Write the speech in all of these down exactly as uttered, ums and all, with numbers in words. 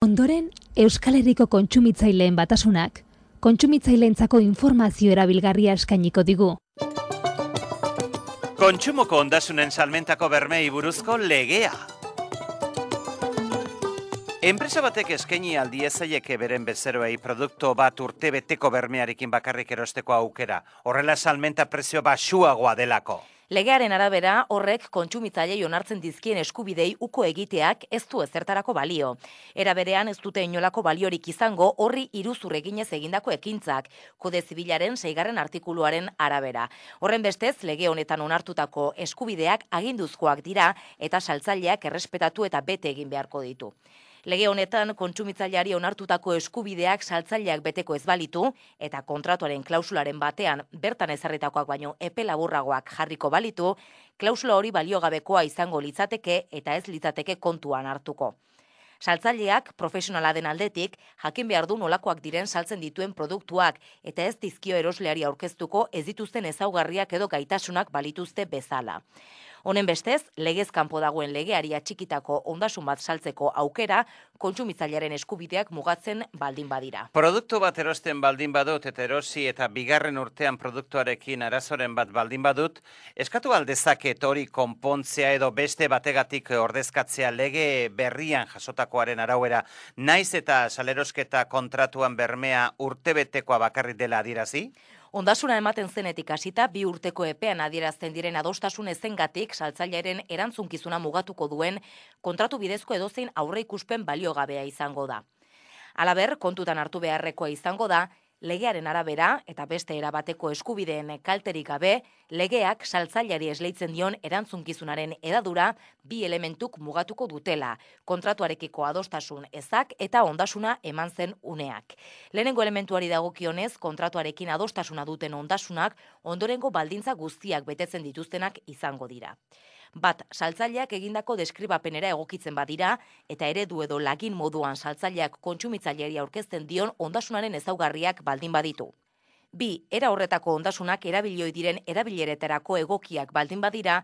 Ondoren, Euskal Herriko kontsumitzaileen batasunak, kontsumitzaileentzako informazio erabilgarria eskainiko digu. Kontsumoko ondasunen salmentako bermeei buruzko legea. Enpresa batek eskaini aldiezaieke beren bezeroei produktu bat urtebeteko bermearekin bakarrik erosteko aukera, horrela salmenta prezio baxuagoa delako. Legearen arabera, horrek kontsumitzailei onartzen dizkien eskubidei uko egiteak ez du ezertarako balio. Era berean ez dute inolako baliorik izango horri iruzur eginez egindako ekintzak, Kode Zibilaren seigarren artikuluaren arabera. Horren bestez, lege honetan onartutako eskubideak aginduzkoak dira eta saltzaileak errespetatu eta bete egin beharko ditu. Lege honetan kontsumitzaileari onartutako eskubideak saltzaileak beteko ez balitu eta kontratuaren klausularen batean bertan ezarritakoak baino epe laburragoak jarriko balitu, klausula hori baliogabekoa izango litzateke eta ez litzateke kontuan hartuko. Saltzaileak profesionala den aldetik jakin behar du nolakoak diren saltzen dituen produktuak eta ez dizkio erosleari aurkeztuko ez dituzten ezaugarriak edo gaitasunak balituzte bezala. Honen bestez, legez kanpo dagoen legeari atxikitako ondasun bat saltzeko aukera kontsumitzailearen eskubideak mugatzen baldin badira. Produktu bat erosten baldin badut eta erosi eta bigarren urtean produktuarekin arazoren bat baldin badut, eskatu aldezaket hori konpontzea edo beste bategatik ordezkatzea lege berrian jasotakoaren arauera, naiz eta salerosketa kontratuan bermea urtebetekoa bakarrik dela adierazi? Ondasuna ematen zenetik hasita bi urteko epean adierazten diren adostasun ezengatik saltzailearen erantzunkizuna mugatuko duen kontratu bidezko edozein aurreikuspen baliogabea izango da. Halaber, kontutan hartu beharrekoa izango da, legearen arabera eta beste erabateko eskubideen kalterik gabe, legeak saltzaileari esleitzen dion erantzunkizunaren edadura bi elementuk mugatuko dutela, kontratuarekiko adostasun ezak eta ondasuna eman zen uneak. Lehenengo elementuari dagokionez, kontratuarekin adostasuna duten ondasunak ondorengo baldintza guztiak betetzen dituztenak izango dira. Bat, saltzaileak egindako deskribapenera egokitzen badira eta eredu edo lagin moduan saltzaileak kontsumitzaileari aurkezten dion ondasunaren ezaugarriak baldin baditu. Bi, era horretako ondasunak erabilioi diren erabileretarako egokiak baldin badira,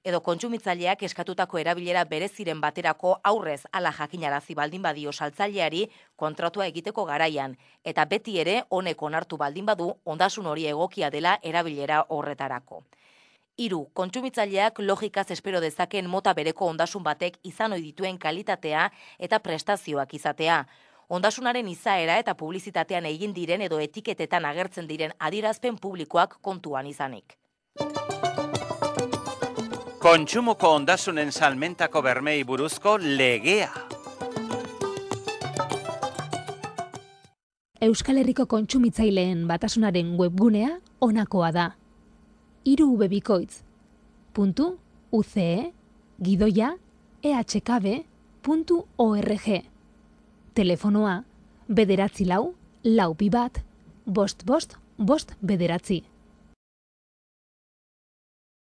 edo kontsumitzaileak eskatutako erabilera bereziren baterako aurrez ala jakinarazi baldin badio saltzaileari kontratua egiteko garaian, eta beti ere honek onartu baldin badu ondasun hori egokia dela erabilera horretarako. Hiru, kontsumitzaileak logikaz espero dezaken mota bereko ondasun batek izan ohi dituen kalitatea eta prestazioak izatea. Ondasunaren izaera eta publizitatean egin diren edo etiketetan agertzen diren adierazpen publikoak kontuan izanik. Kontsumoko ondasunen salmentako bermeei buruzko legea. Euskal Herriko kontsumitzaileen batasunaren webgunea honakoa da. hiru b bikoitz puntu u c e gidoia e h k b puntu org. Telefonoa bederatzi lau, lau bi bat, bost bost, bost bederatzi.